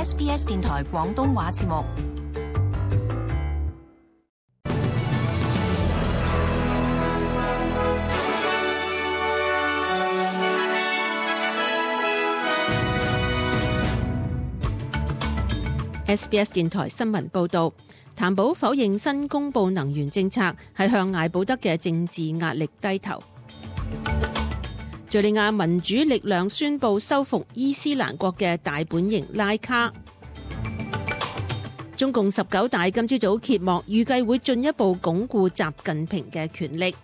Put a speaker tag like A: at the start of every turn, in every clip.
A: SBS 電台廣東話節目。
B: SBS 電台新聞報導，譚寶否認新公布能源政策係向艾保德嘅政治壓力低頭。敘利亞民主力量宣布收復伊斯蘭國嘅大本營拉卡。中共19大今朝早揭幕，預計會進一步鞏固習近平嘅權力。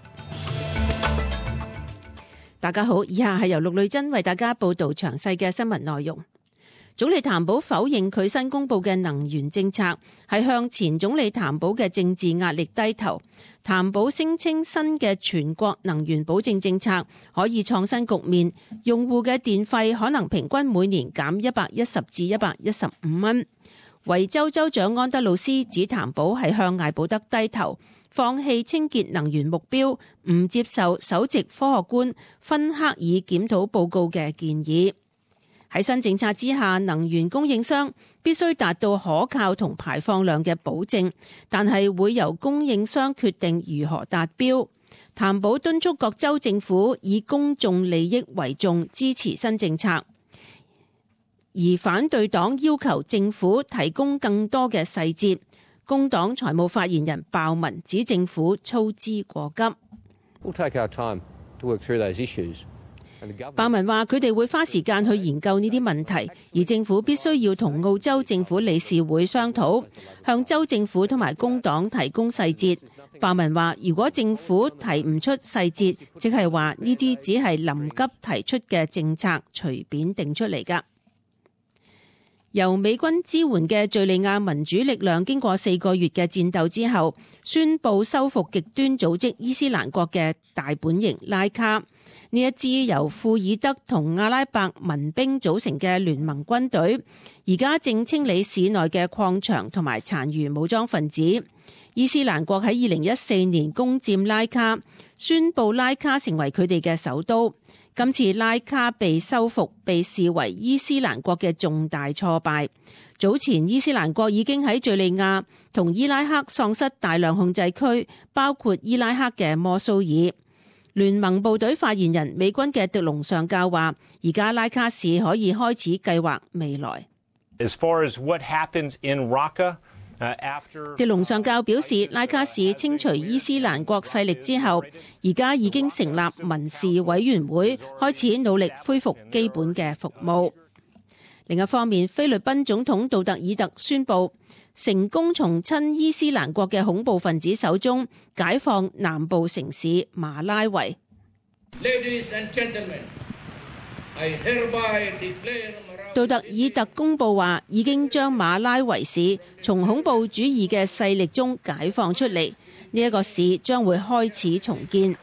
B: 大家好，以下係由陸女珍為大家報導詳細嘅新聞內容。總理譚寶否認佢新公布嘅能源政策係向前總理譚寶嘅政治壓力低頭。譚寶聲稱新嘅全國能源保證政策可以創新局面，用戶嘅電費可能平均每年減110至115蚊。維州州長安德魯斯指譚寶係向艾保德低頭，放棄清潔能源目標，唔接受首席科學官芬克爾檢討報告嘅建議。喺新政策之下，能源供應商必須達到可靠同排放量嘅保證，但係會由供應商決定如何達標。譚寶敦促各州政府以公眾利益為重，支持新政策，而反對黨要求政府提供更多嘅細節。工黨財務發言人鮑文指政府操之過急。
C: We'll take our time to work through those issues.
B: 鮑文話佢哋會花時間去研究呢啲問題，而政府必須要同澳洲政府理事會商討，向州政府同埋工黨提供細節。鮑文話如果政府提唔出細節，即係話呢啲只係臨急提出嘅政策，隨便定出嚟㗎。由美軍支援嘅敘利亞民主力量經過4個月嘅戰鬥之後，宣布收復極端組織伊斯蘭國嘅大本營拉卡。呢一支由庫爾德同阿拉伯民兵組成嘅聯盟軍隊，而家正清理市內嘅礦場同埋殘餘武裝分子。伊斯蘭國喺2014年攻佔拉卡，宣布拉卡成為佢哋嘅首都。今次拉卡被收復，被視為伊斯蘭國嘅重大挫敗。早前伊斯蘭國已經喺敘利亞同伊拉克喪失大量控制區，包括伊拉克嘅摩蘇爾。聯盟部隊發言人美軍嘅迪龍上校話，而家拉卡市可以開始計劃未來。迪龍上校表示，拉卡市清除伊斯蘭國勢力之後，而家已經成立民事委員會，開始努力恢復基本嘅服務。另一方面，菲律賓總統杜特爾特宣布成功從親伊斯蘭國嘅恐怖分子手中解放南部城市馬拉維。杜特爾特公布話，已經將馬拉維市從恐怖主義嘅勢力中解放出嚟，呢一個市將會開始重建。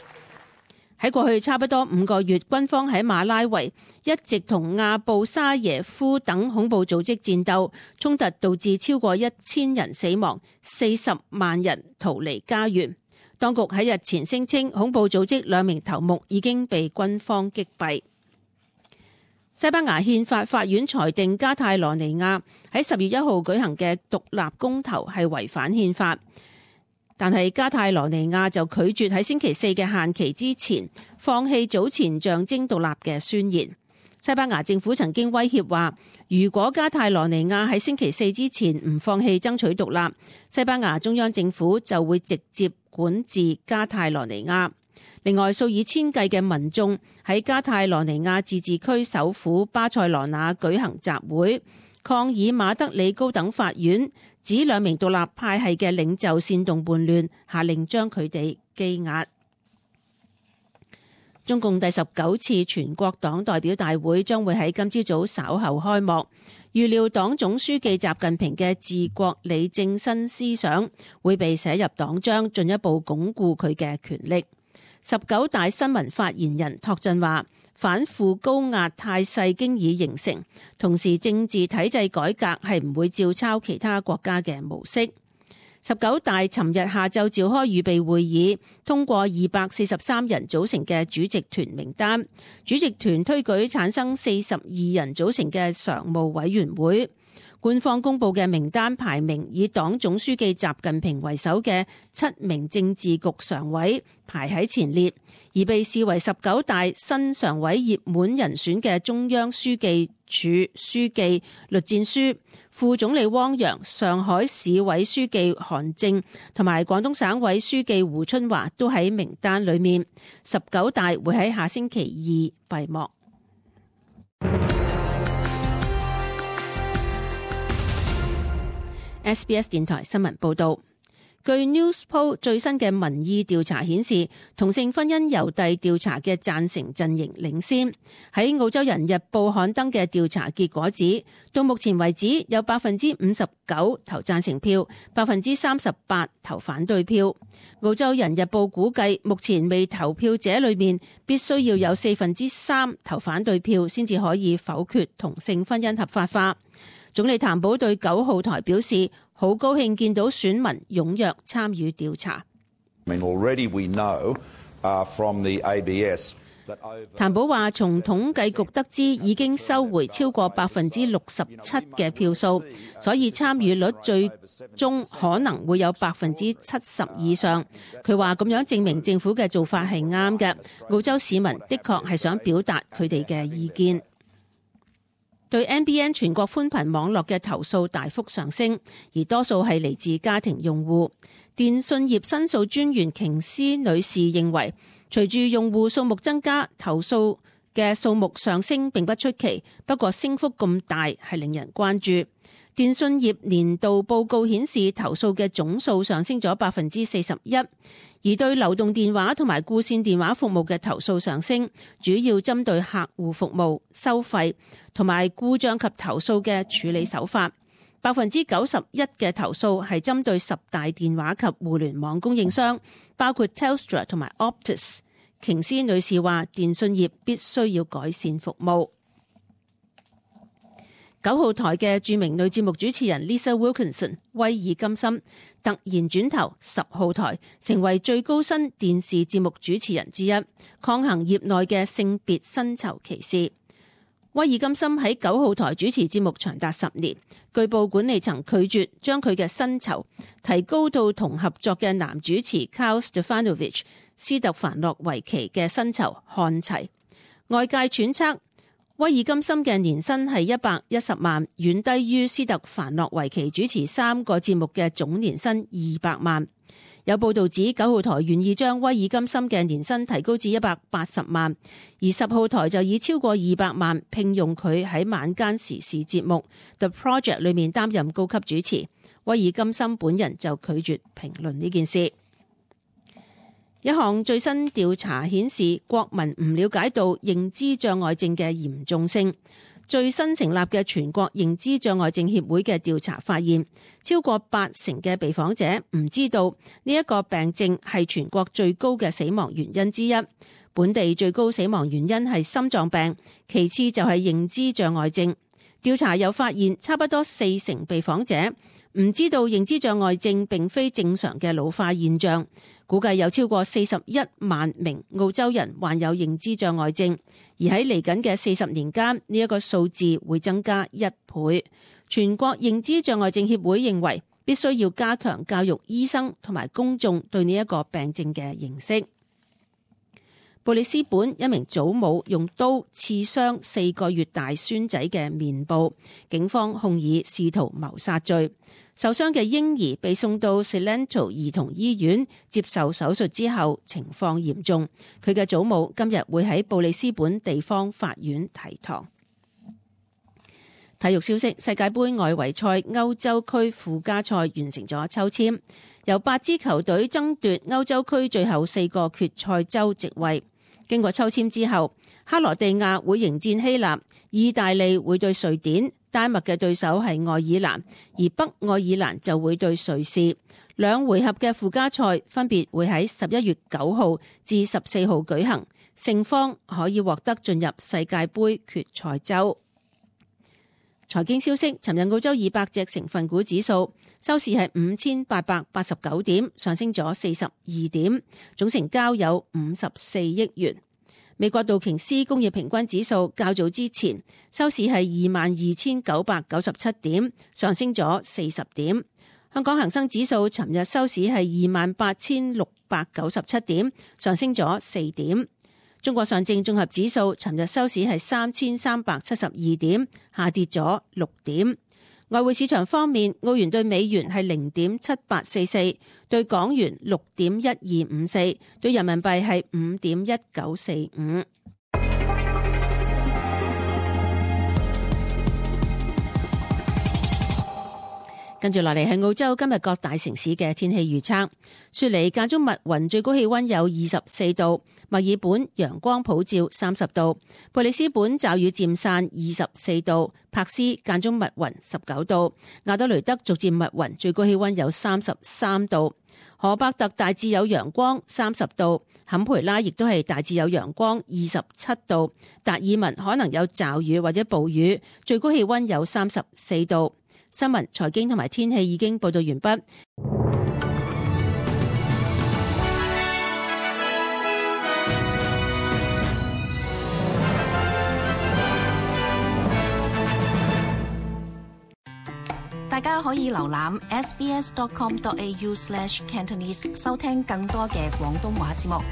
B: 喺過去差不多5個月，軍方喺馬拉維一直同阿布沙耶夫等恐怖組織戰鬥，衝突導致超過1000人死亡，40萬人逃離家園。當局喺日前聲稱，恐怖組織2名頭目已經被軍方擊斃。西班牙憲法法院裁定加泰羅尼亞喺10月1號舉行嘅獨立公投係違反憲法。但係加泰羅尼亞就拒絕喺星期4嘅限期之前放棄早前象徵獨立嘅宣言。西班牙政府曾經威脅話，如果加泰羅尼亞喺星期4之前唔放棄爭取獨立，西班牙中央政府就會直接管治加泰羅尼亞。另外，數以千計嘅民眾喺加泰羅尼亞自治區首府巴塞羅那舉行集會，抗議馬德里高等法院指2名獨立派系嘅領袖煽動叛亂，下令將佢哋羈押。中共第19次全國黨代表大會將會喺今朝早稍後開幕，預料黨總書記習近平嘅治國理政新思想會被寫入黨章，進一步鞏固佢嘅權力。19大新聞發言人托振話，反腐高壓態勢經已形成，同時政治體制改革係唔會照抄其他國家嘅模式。19大尋日下晝召開預備會議，通過243人組成嘅主席團名單，主席團推舉產生42人組成嘅常務委員會。官方公布嘅名單排名以黨總書記習近平為首嘅7名政治局常委排喺前列，而被視為19大新常委熱門人選嘅中央書記處書記栗戰書、副總理汪洋、上海市委書記韓正同埋廣東省委書記胡春華都喺名單裏面。19大會喺下星期2閉幕。SBS 電台新聞報道，據 Newspoll 最新嘅民意調查顯示，同性婚姻郵遞調查嘅贊成陣營領先。喺澳洲人日報刊登嘅調查結果指，到目前為止有 59% 投贊成票， 38% 投反對票。澳洲人日報估計，目前未投票者裏面必須要有3%投反對票，先至可以否決同性婚姻合法化。總理譚寶對9號台表示，好高興見到選民踴躍參與調查。譚寶話，從統計局得知已經收回超過 67% 嘅票數，所以參與率最終可能會有 70% 以上。佢話咁樣證明政府嘅做法係啱嘅。澳洲市民的確係想表達佢哋嘅意見。對 NBN 全國寬頻網絡嘅投訴大幅上升，而多數係嚟自家庭用戶。電信業申訴專員瓊斯女士認為，隨住用戶數目增加，投訴嘅數目上升並不出奇，不過升幅咁大係令人關注。電信業年度報告顯示，投訴嘅總數上升咗 41%， 而對流動電話同埋固線電話服務嘅投訴上升，主要針對客戶服務、收費同埋故障及投訴嘅處理手法。91% 嘅投訴係針對10大電話及互聯網供應商，包括 Telstra 同埋 Optus。瓊斯女士話，電信業必須要改善服務。9號台嘅著名女節目主持人 Lisa Wilkinson 威爾金森突然轉投10號台，成為最高薪電視節目主持人之一，抗衡業內嘅性別薪酬歧視。威爾金森喺9號台主持節目長達10年，據報管理層拒絕將佢嘅薪酬提高到同合作嘅男主持 Carl Stefanovic 斯特凡諾維奇嘅薪酬看齊。外界揣測，威爾金森嘅年薪係110萬，遠低於斯特凡諾維奇主持3個節目嘅總年薪200萬。有報道指9號台願意將威爾金森嘅年薪提高至180萬，而10號台就以超過200萬聘用佢喺晚間時事節目 The Project 裏面擔任高級主持。威爾金森本人就拒絕評論呢件事。一項最新調查顯示，國民唔了解到認知障礙症嘅嚴重性。最新成立嘅全國認知障礙症協會嘅調查發現，超過80%嘅被訪者唔知道呢一個病症係全國最高嘅死亡原因之一。本地最高死亡原因係心臟病，其次就係認知障礙症。調查又發現，差不多40%被訪者唔知道認知障礙症並非正常嘅老化現象。估計有超過41萬名澳洲人患有認知障礙症，而喺嚟緊嘅40年間，呢一個數字會增加1倍。全國認知障礙症協會認為，必須要加強教育醫生同埋公眾對呢一個病症嘅認識。布里斯本一名祖母用刀刺傷4個月大孫仔嘅面部，警方控以試圖謀殺罪。受傷嘅嬰兒被送到 Cilento 兒童醫院接受手術之後，情況嚴重。佢嘅祖母今日會喺布里斯本地方法院提堂。體育消息：世界盃外圍賽歐洲區附加賽完成咗抽籤，由8支球隊爭奪歐洲區最後4個決賽周席位。經過抽籤之後，克羅地亞會迎戰希臘，意大利會對瑞典，丹麥嘅對手係愛爾蘭，而北愛爾蘭就會對瑞士。兩回合嘅附加賽分別會喺11月9號至14號舉行，勝方可以獲得進入世界盃決賽周。財經消息，尋日澳洲200隻成分股指數收市係5889點，上升咗42點，總成交有54億元。美國道瓊斯工業平均指數較早之前收市係22,997點，上升咗40點。香港恒生指數尋日收市係28,697點，上升咗4點。中國上證綜合指數尋日收市係3,372點，下跌咗6點。外匯市場方面，澳元對美元係0.7844，對港元6.1254，對人民幣係5.1945。跟住落嚟係澳洲今日各大城市嘅天氣預測。雪梨間中密雲，最高氣溫有24度；墨爾本陽光普照30度；布里斯本驟雨漸散24度；柏斯間中密雲19度；亞德雷德逐漸密雲，最高氣溫有33度；荷伯特大致有陽光30度；坎培拉亦都係大致有陽光27度；達爾文可能有驟雨或者暴雨，最高氣溫有34度。新聞、財經同埋天氣已經報道完畢。
A: 大家可以瀏覽 sbs.com.au/Cantonese 收聽更多嘅廣東話節目。